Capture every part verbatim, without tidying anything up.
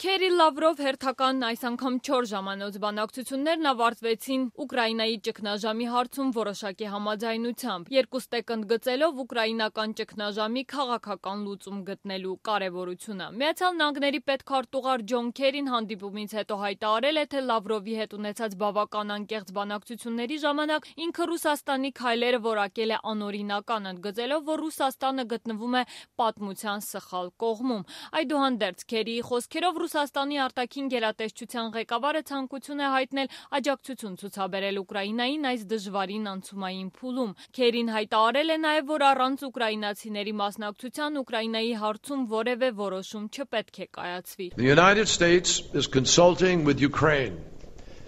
Քերի Լավրով հերթական այս անգամ չորս ժամանոց բանակցություններն ավարտվեցին Ուկրաինայի ճգնաժամի հարցում որոշակի համաձայնությամբ, երկուստեք ընդգծելով ուկրաինական ճգնաժամի քաղաքական լուծում գտնելու կարևորությունը։ Միացյալ Նահանգների պետքարտուղար Ջոն Քերին հանդիպումից հետո հայտարարել է, թե Լավրովի հետ ունեցած բավական անկեղծ բանակցությունների ժամանակ ինքը Ռուսաստանի քայլերը որակել է անօրինական, ընդգծելով, որ Ռուսաստանը գտնվում է պատմության սխալ կողմում։ Այդուհանդերձ Քերիի խոսքերով Ռուսաստանի արտաքին գերատեսչության ղեկավարը ցանկություն է հայտնել աջակցություն ցուցաբերել Ուկրաինային այս դժվարին անցումային փուլում։ Քերին հայտարարել է նաև, որ առանց ուկրաինացիների մասնակցության Ուկրաինայի հարցում որևէ որոշում չպետք է կայացվի։ The United States is consulting with Ukraine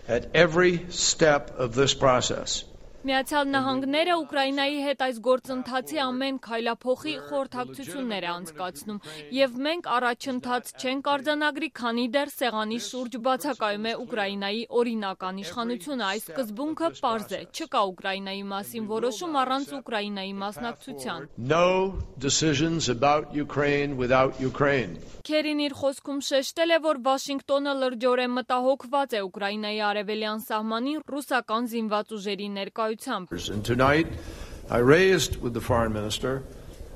at every step of this process. Միացյալ Նահանգները Ուկրաինայի հետ այս գործընթացի ամեն քայլափոխի խորհրդակցություններ է անցկացնում, եւ մենք առաջընթաց չենք արձանագրի, քանի դեռ սեղանի շուրջ բացակայում է Ուկրաինայի օրինական իշխանությունը։ Այս սկզբունքը պարզ է, չկա Ուկրաինայի մասին որոշում առանց Ուկրաինայի մասնակցության։ No decisions about Ukraine without Ukraine. Քերին իր խոսքում շեշտել է, որ Վաշինգտոնը լրջորեն մտահոգված է Ուկրաինայի արևելյան սահմանին ռուսական զինված ուժերի ներկայությամբ։ And tonight I raised with the foreign minister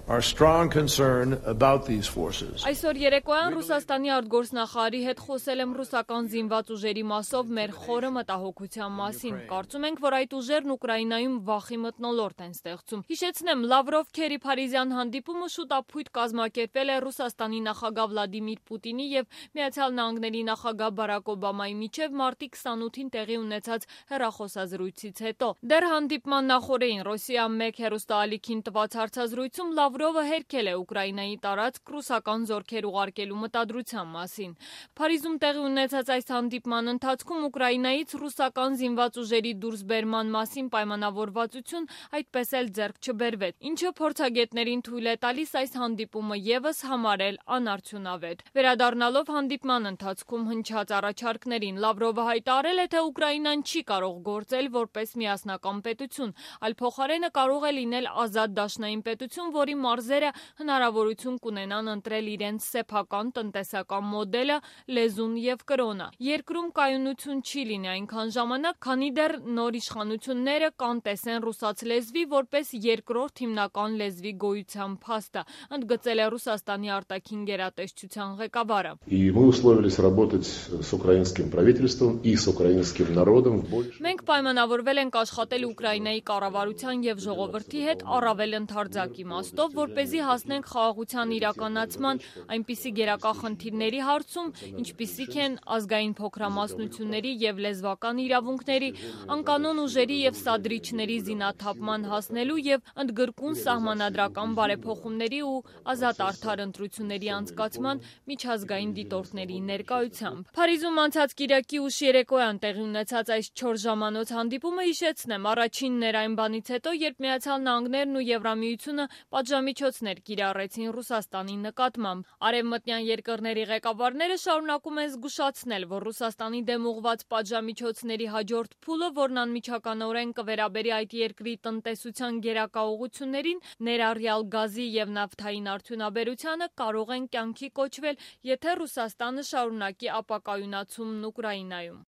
our strong concern about these forces. Այսօր երեկոյան Ռուսաստանի արտգործնախարարի հետ խոսել եմ ռուսական զինված ուժերի մասով մեր խորը մտահոգության մասին։ Կարծում ենք, որ այդ ուժերն Ուկրաինայում վախի մթնոլորտ են ստեղծում։ Հիշեցնեմ, Լավրով Քերի Փարիզյան հանդիպումը շուտապույտ կազմակերպվել է Ռուսաստանի նախագահ Վլադիմիր Պուտինի եւ Միացյալ Նահանգների նախագահ Բարակ Օբամայի միջև մարտի քսանութին տեղի ունեցած հեռախոսազրույցից հետո։ Դեռ հանդիպման նախօրեին Ռոսիա մեկ հեռուստաալիքին տված հարցազրույցում Լավրովը հերքել է Ուկրաինայի տարածք ռուսական զորքեր ուղարկելու մտադրության մասին։ Փարիզում տեղի ունեցած այս հանդիպման ընթացքում Ուկրաինայից ռուսական զինված ուժերի դուրսբերման մասին պայմանավորվածություն այդպես էլ ձեռք չբերվեց, ինչը փորձագետներին թույլ է տալիս այս հանդիպումը եւս համարել անարդյունավետ։ Վերադառնալով հանդիպման ընթացքում հնչած առաջարկներին, Լավրովը հայտարարել է, թե Ուկրաինան չի կարող գործել որպես միասնական պետություն, այլ փոխարենը կարող է լինել ազատ դաշնային պետություն, որի մարզերը հնարավորություն կունենան ընտրել իրենց սեփական տնտեսական մոդելը, լեզուն եւ կրոնը։ Երկրում կայունություն չի լինի այնքան ժամանակ, քանի դեռ նոր իշխանությունները կանտեսեն ռուսաց լեզվի որպես երկրորդ հիմնական լեզվի գոյության փաստը, ընդգծել է Ռուսաստանի արտաքին գերատեսչության ղեկավարը։ И мы условились работать с украинским правительством и с украинским народом в больше. Մենք պայմանավորվել ենք աշխատել Ուկրաինայի կառավարության եւ ժողովրդի հետ առավել ընդարձակ իմաստով, որպեսզի հասնենք խաղաղության իրականացման այնպիսի գերակա խնդիրների հարցում, ինչպիսիք են ազգային փոքրամասնությունների եւ լեզվական իրավունքների, անկանոն ուժերի եւ սադրիչների զինաթափման հասնելու եւ ընդգրկուն սահմանադրական բարեփոխումների ու ազատ արդար ընտրությունների անցկացման միջազգային դիտորդների ներկայությամբ։ Փարիզում անցած կիրակի ուշ երեկոյան տեղի ունեցած այս չորս ժամանոց հանդիպումը, հիշեցնեմ, առաջինն էր այն բանից հետո, երբ Միացյալ Նահանգներն ու Եվրամիությունը պատժամիջոցներ կիրառեցին Ռուսաստանի նկատմամբ։ Արևմտյան երկրների ղեկավարները շարունակում են զգուշացնել, որ Ռուսաստանի դեմ ուղղված պատժամիջոցների հաջորդ փուլը, որն անմիջականորեն կվերաբերի այդ երկրի տնտեսության գերակա ուղղություններին, ներառյալ գազի եւ նավթային արդյունաբերությանը, կարող են կյանքի կոչվել, եթե Ռուսաստանը շարունակի ապակայունացումն Ուկրաինայում։